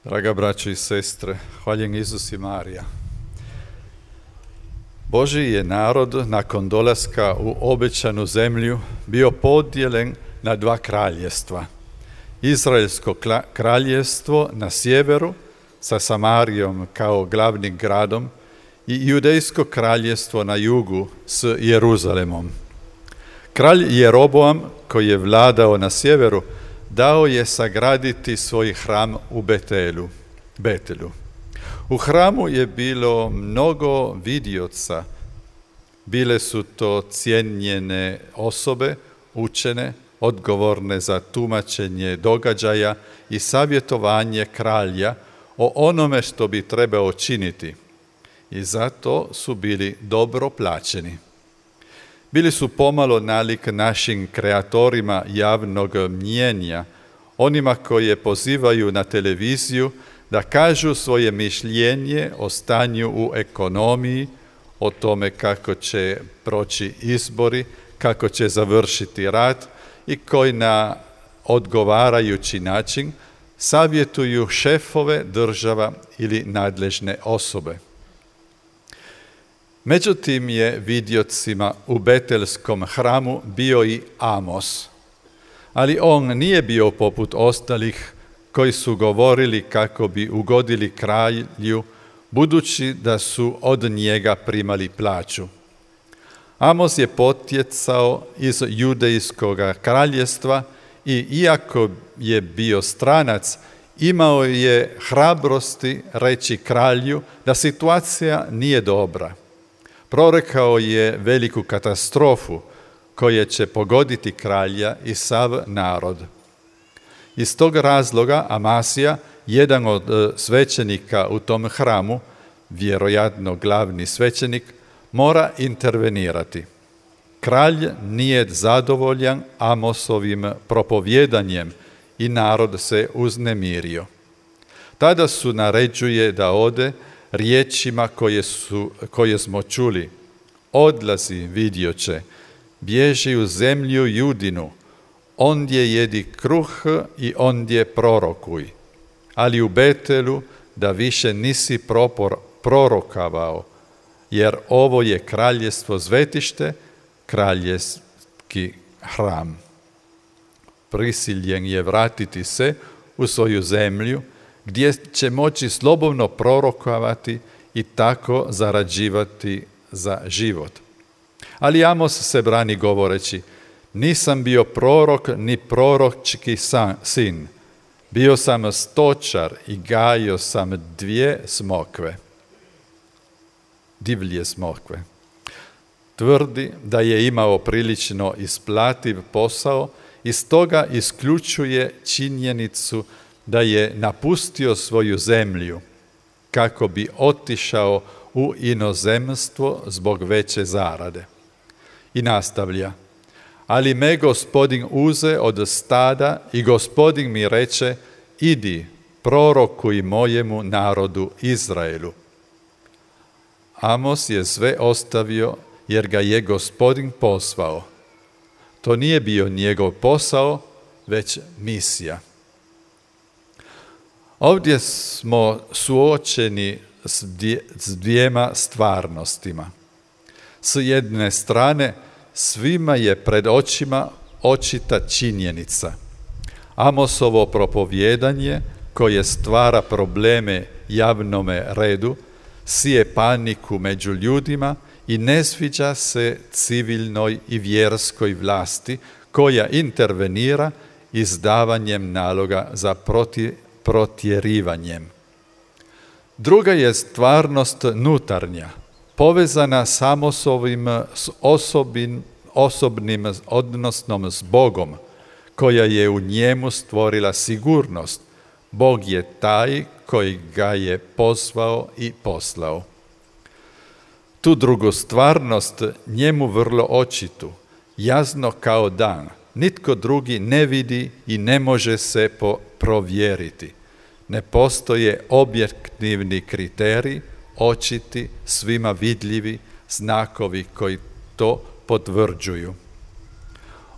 Draga braćo i sestre, hvaljen Isus i Marija. Božji je narod nakon dolaska u obećanu zemlju bio podijeljen na dva kraljevstva. Izraelsko kraljevstvo na sjeveru sa Samarijom kao glavnim gradom i Judejsko kraljevstvo na jugu s Jeruzalemom. Kralj Jeroboam, koji je vladao na sjeveru, dao je sagraditi svoj hram u Betelu. U hramu je bilo mnogo vidioca. Bile su to cijenjene osobe, učene, odgovorne za tumačenje događaja i savjetovanje kralja o onome što bi trebao činiti. I zato su bili dobro plaćeni. Bili su pomalo nalik našim kreatorima javnog mnijenja, onima koje pozivaju na televiziju da kažu svoje mišljenje o stanju u ekonomiji, o tome kako će proći izbori, kako će završiti rat i koji na odgovarajući način savjetuju šefove država ili nadležne osobe. Međutim je vidjocima u Betelskom hramu bio i Amos, ali on nije bio poput ostalih koji su govorili kako bi ugodili kralju, budući da su od njega primali plaću. Amos je potjecao iz Judejskog kraljevstva i iako je bio stranac, imao je hrabrosti reći kralju da situacija nije dobra. Prorekao je veliku katastrofu koja će pogoditi kralja i sav narod. Iz tog razloga Amasija, jedan od svećenika u tom hramu, vjerojatno glavni svećenik, mora intervenirati. Kralj nije zadovoljan Amosovim propovjedanjem i narod se uznemirio. Tada su naređuje da ode riječima koje smo čuli: odlazi, vidjoće, bježi u zemlju Judinu, ondje jedi kruh i ondje prorokuj. Ali u Betelu da više nisi prorokavao, jer ovo je kraljevstvo zvetište, kraljevski hram. Prisiljen je vratiti se u svoju zemlju, gdje će moći slobodno prorokovati i tako zarađivati za život. Ali Amos se brani govoreći: nisam bio prorok ni proročki sin. Bio sam stočar i gajio sam divlje smokve. Tvrdi da je imao prilično isplativ posao i stoga isključuje činjenicu da je napustio svoju zemlju kako bi otišao u inozemstvo zbog veće zarade. I nastavlja: ali me Gospodin uze od stada i Gospodin mi reče: idi, prorokuj mojemu narodu Izraelu. Amos je sve ostavio jer ga je Gospodin poslao. To nije bio njegov posao, već misija. Ovdje smo suočeni s dvijema stvarnostima. S jedne strane, svima je pred očima očita činjenica. Amosovo propovjedanje, koje stvara probleme javnome redu, sije paniku među ljudima i ne sviđa se civilnoj i vjerskoj vlasti koja intervenira izdavanjem naloga za protjerivanjem. Druga je stvarnost nutarnja, povezana s Amosovim osobnim odnosom s Bogom, koja je u njemu stvorila sigurnost. Bog je taj koji ga je pozvao i poslao. Tu drugu stvarnost, njemu vrlo očitu, jasno kao dan, nitko drugi ne vidi i ne može se provjeriti. Ne postoje objektivni kriteriji, očiti, svima vidljivi znakovi koji to potvrđuju.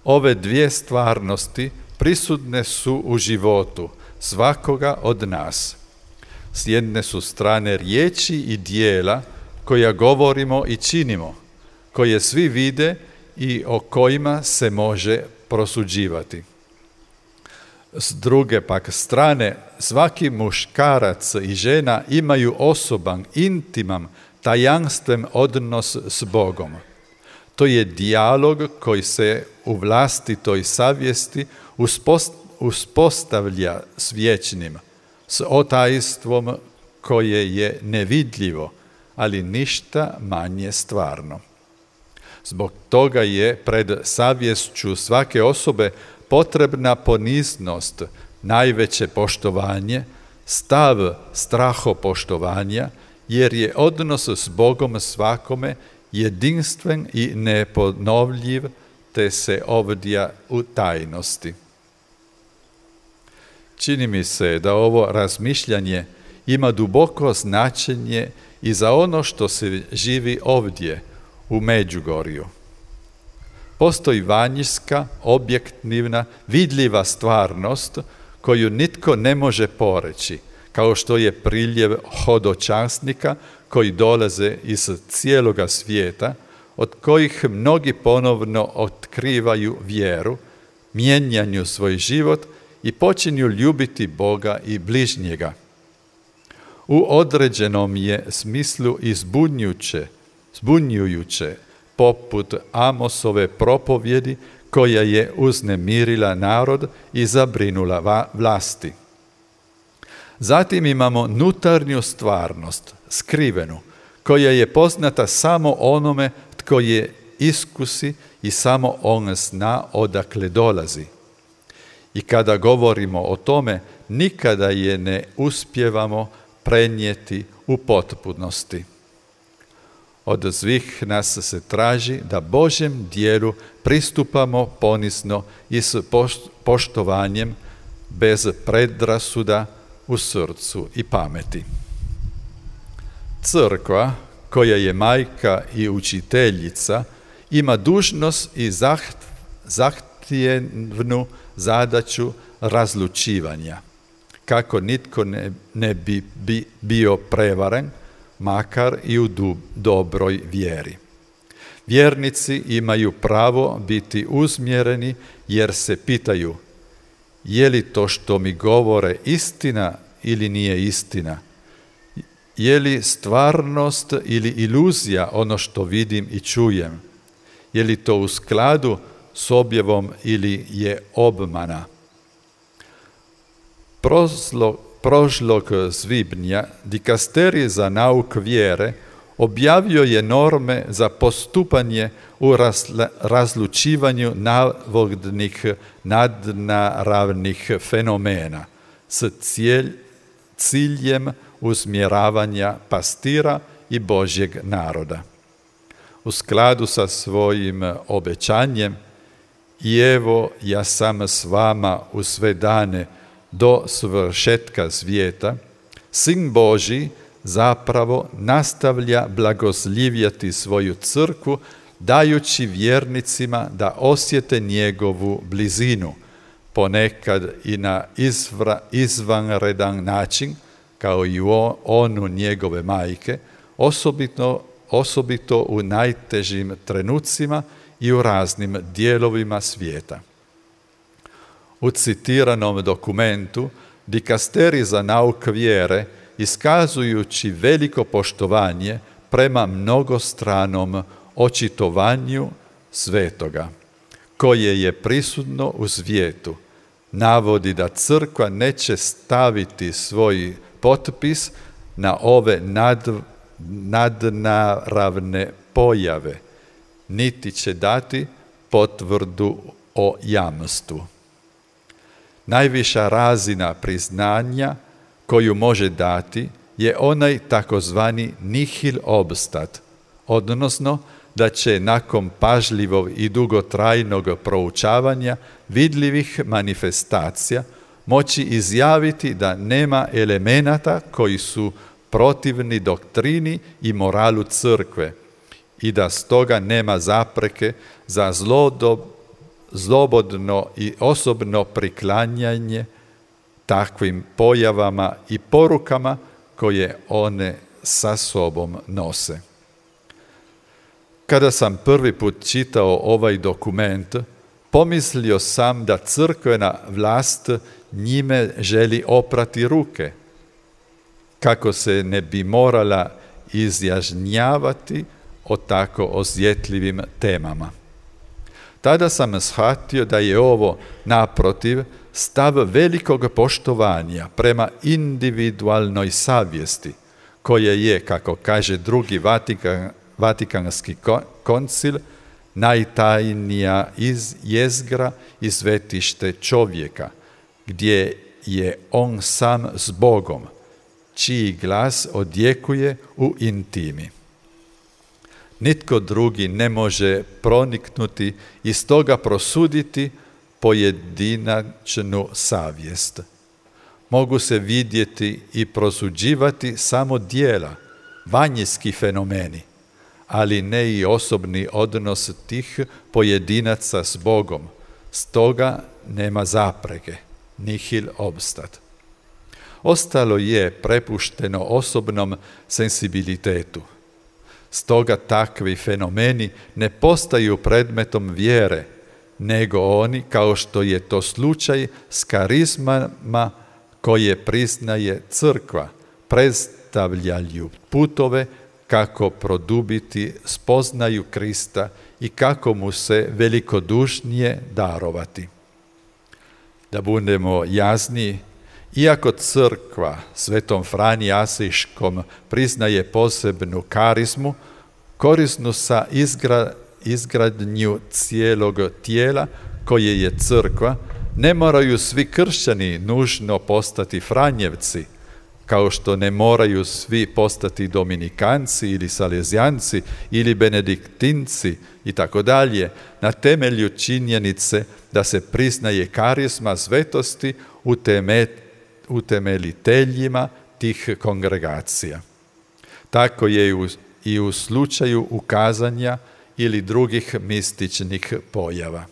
Ove dvije stvarnosti prisutne su u životu svakoga od nas. S jedne su strane riječi i dijela koja govorimo i činimo, koje svi vide i o kojima se može prosuđivati. S druge pak strane, svaki muškarac i žena imaju osoban, intiman, tajanstven odnos s Bogom. To je dijalog koji se u vlastitoj savjesti uspostavlja s vječnim, s otajstvom koje je nevidljivo, ali ništa manje stvarno. Zbog toga je pred savješću svake osobe potrebna poniznost, najveće poštovanje, stav strahopoštovanja, jer je odnos s Bogom svakome jedinstven i neponovljiv, te se ovdja u tajnosti. Čini mi se da ovo razmišljanje ima duboko značenje i za ono što se živi ovdje, u Međugorju. Postoji vanjska, objektivna, vidljiva stvarnost koju nitko ne može poreći, kao što je priljev hodočasnika koji dolaze iz cijeloga svijeta, od kojih mnogi ponovno otkrivaju vjeru, mijenjaju svoj život i počinju ljubiti Boga i bližnjega. U određenom je smislu i zbunjujuće, poput Amosove propovjedi koja je uznemirila narod i zabrinula vlasti. Zatim imamo unutarnju stvarnost, skrivenu, koja je poznata samo onome tko je iskusi i samo on zna odakle dolazi. I kada govorimo o tome, nikada je ne uspijevamo prenijeti u potpunosti. Od svih nas se traži da Božjem dijelu pristupamo ponizno i s poštovanjem, bez predrasuda u srcu i pameti. Crkva, koja je majka i učiteljica, ima dužnost i zahtjevnu zadaću razlučivanja, kako nitko ne bi bio prevaren, makar i u dobroj vjeri. Vjernici imaju pravo biti uzmjereni jer se pitaju: je li to što mi govore istina ili nije istina? Je li stvarnost ili iluzija ono što vidim i čujem? Je li to u skladu s objavom ili je obmana? Prošlog svibnja dikasterij za nauk vjere objavio je norme za postupanje u razlučivanju navodnih nadnaravnih fenomena s ciljem usmjeravanja pastira i Božjeg naroda. U skladu sa svojim obećanjem: i evo ja sam s vama u sve dane do svršetka svijeta, Sin Božji zapravo nastavlja blagosljivjeti svoju crkvu, dajući vjernicima da osjete njegovu blizinu, ponekad i na izvanredan način, kao i onu njegove majke, osobito u najtežim trenucima i u raznim dijelovima svijeta. U citiranom dokumentu dikasterij za nauk vjere, iskazujući veliko poštovanje prema mnogostranom očitovanju svetoga, koje je prisutno u svijetu, navodi da crkva neće staviti svoj potpis na ove nadnaravne pojave, niti će dati potvrdu o jamstvu. Najviša razina priznanja koju može dati je onaj takozvani nihil obstat, odnosno da će nakon pažljivog i dugotrajnog proučavanja vidljivih manifestacija moći izjaviti da nema elemenata koji su protivni doktrini i moralu crkve i da stoga nema zapreke za slobodno i osobno priklanjanje takvim pojavama i porukama koje one sa sobom nose. Kada sam prvi put čitao ovaj dokument, pomislio sam da crkvena vlast njime želi oprati ruke, kako se ne bi morala izjašnjavati o tako osjetljivim temama. Tada sam shvatio da je ovo, naprotiv, stav velikog poštovanja prema individualnoj savjesti, koje je, kako kaže drugi Vatikanski koncil, najtajnija jezgra i svetište čovjeka, gdje je on sam s Bogom, čiji glas odjekuje u intimi. Nitko drugi ne može proniknuti i stoga prosuditi pojedinačnu savjest. Mogu se vidjeti i prosuđivati samo djela, vanjski fenomeni, ali ne i osobni odnos tih pojedinaca s Bogom. Stoga nema zapreke, nihil obstat. Ostalo je prepušteno osobnom senzibilitetu. Stoga takvi fenomeni ne postaju predmetom vjere, nego oni, kao što je to slučaj s karizmama koje priznaje crkva, predstavljaju putove kako produbiti spoznaju Krista i kako mu se velikodušnije darovati. Da budemo jasniji, iako crkva Svetom Franji Asiškom priznaje posebnu karizmu, korisnu sa izgradnju cijelog tijela koje je crkva, ne moraju svi kršćani nužno postati Franjevci, kao što ne moraju svi postati Dominikanci ili Salezijanci ili Benediktinci i tako dalje, na temelju činjenice da se priznaje karizma svetosti utemeljiteljima tih kongregacija. Tako je i u slučaju ukazanja ili drugih mističnih pojava.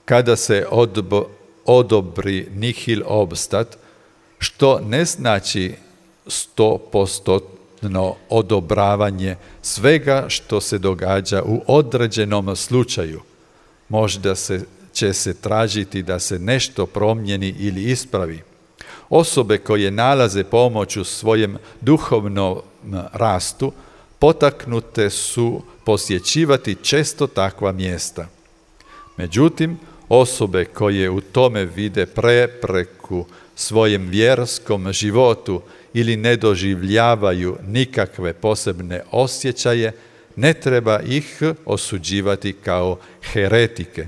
Kada se odobri nihil obstat, što ne znači 100% odobravanje svega što se događa u određenom slučaju. Možda će se tražiti da se nešto promijeni ili ispravi. Osobe koje nalaze pomoć u svojem duhovnom rastu potaknute su posjećivati često takva mjesta. Međutim, osobe koje u tome vide prepreku svojem vjerskom životu ili ne doživljavaju nikakve posebne osjećaje, ne treba ih osuđivati kao heretike.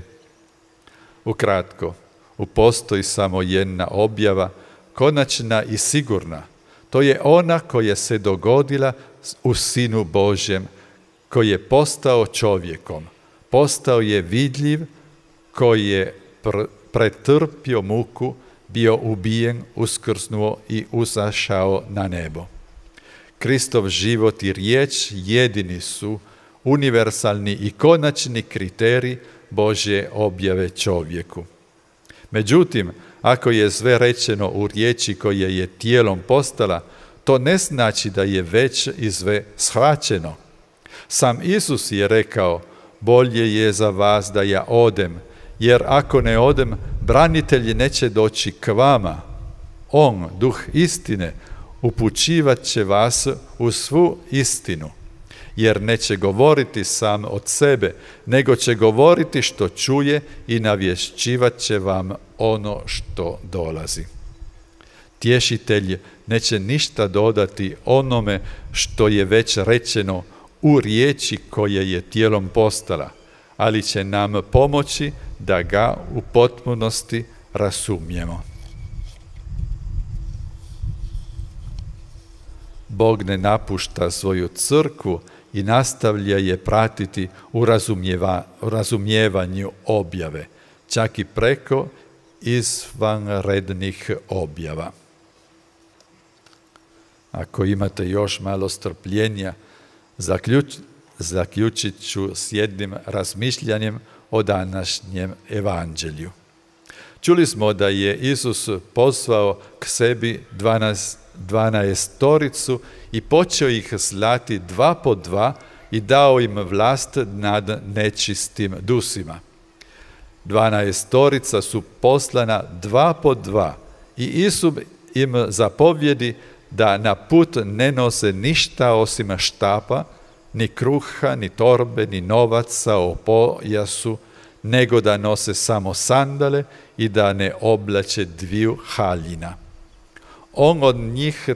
Ukratko, postoji samo jedna objava, konačna i sigurna. To je ona koja se dogodila u Sinu Božjem, koji je postao čovjekom. Postao je vidljiv, koji je pretrpio muku, bio ubijen, uskrsnuo i uzašao na nebo. Kristov život i riječ jedini su univerzalni i konačni kriterij Božje objave čovjeku. Međutim, ako je sve rečeno u riječi koja je tijelom postala, to ne znači da je već i sve shvaćeno. Sam Isus je rekao, bolje je za vas da ja odem, jer ako ne odem, branitelji neće doći k vama. On, duh istine, upućivat će vas u svu istinu, jer neće govoriti sam od sebe, nego će govoriti što čuje i navješćivat će vam ono što dolazi. Tješitelj neće ništa dodati onome što je već rečeno u riječi koja je tijelom postala, ali će nam pomoći da ga u potpunosti razumijemo. Bog ne napušta svoju crkvu i nastavlja je pratiti u razumijevanju objave, čak i preko izvanrednih objava. Ako imate još malo strpljenja, zaključit ću s jednim razmišljanjem o današnjem evanđelju. Čuli smo da je Isus pozvao k sebi 12 i počeo ih slati 2 po 2 i dao im vlast nad nečistim dusima. 12 su poslana 2 po 2 i Isus im zapovjedi da na put ne nose ništa osim štapa, ni kruha, ni torbe, ni novaca o pojasu, nego da nose samo sandale i da ne oblače 2 haljina. On od njih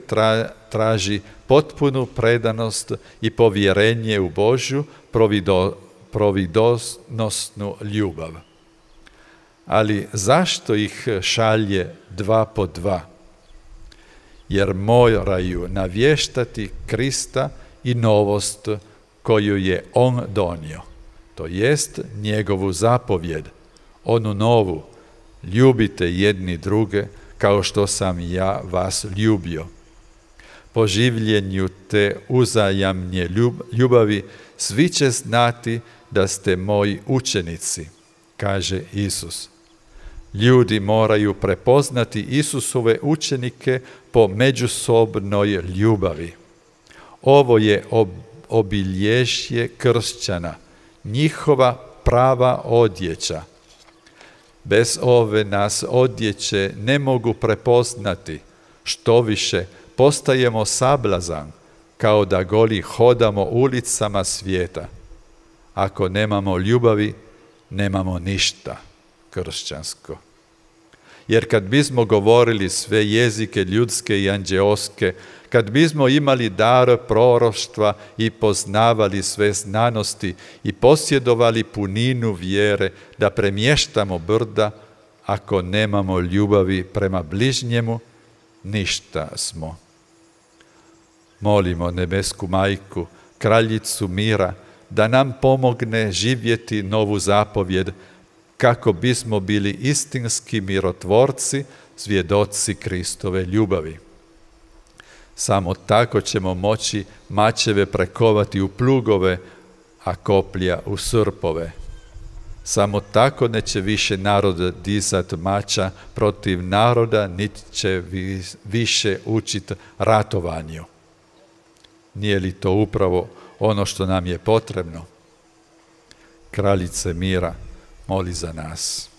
traži potpunu predanost i povjerenje u Božju providosnu ljubav. Ali zašto ih šalje 2 po 2? Jer moraju navještati Krista i novost koju je on donio, to jest njegovu zapovjed, onu novu: ljubite jedni druge kao što sam ja vas ljubio. Po življenju te uzajamne ljubavi svi će znati da ste moji učenici, kaže Isus. Ljudi moraju prepoznati Isusove učenike po međusobnoj ljubavi. Ovo je obilježje kršćana, njihova prava odjeća. Bez ove nas odjeće ne mogu prepoznati, što više postajemo sablazan, kao da goli hodamo ulicama svijeta. Ako nemamo ljubavi, nemamo ništa kršćansko. Jer kad bismo govorili sve jezike ljudske i anđeoske, kad bismo imali dar proroštva i poznavali sve znanosti i posjedovali puninu vjere da premještamo brda, ako nemamo ljubavi prema bližnjemu, ništa smo. Molimo nebesku majku, kraljicu mira, da nam pomogne živjeti novu zapovjed, kako bismo bili istinski mirotvorci, svjedoci Kristove ljubavi. Samo tako ćemo moći mačeve prekovati u plugove, a koplja u srpove. Samo tako neće više narod dizat mača protiv naroda, niti će više učit ratovanju. Nije li to upravo ono što nam je potrebno? Kraljice mira, moli za nas.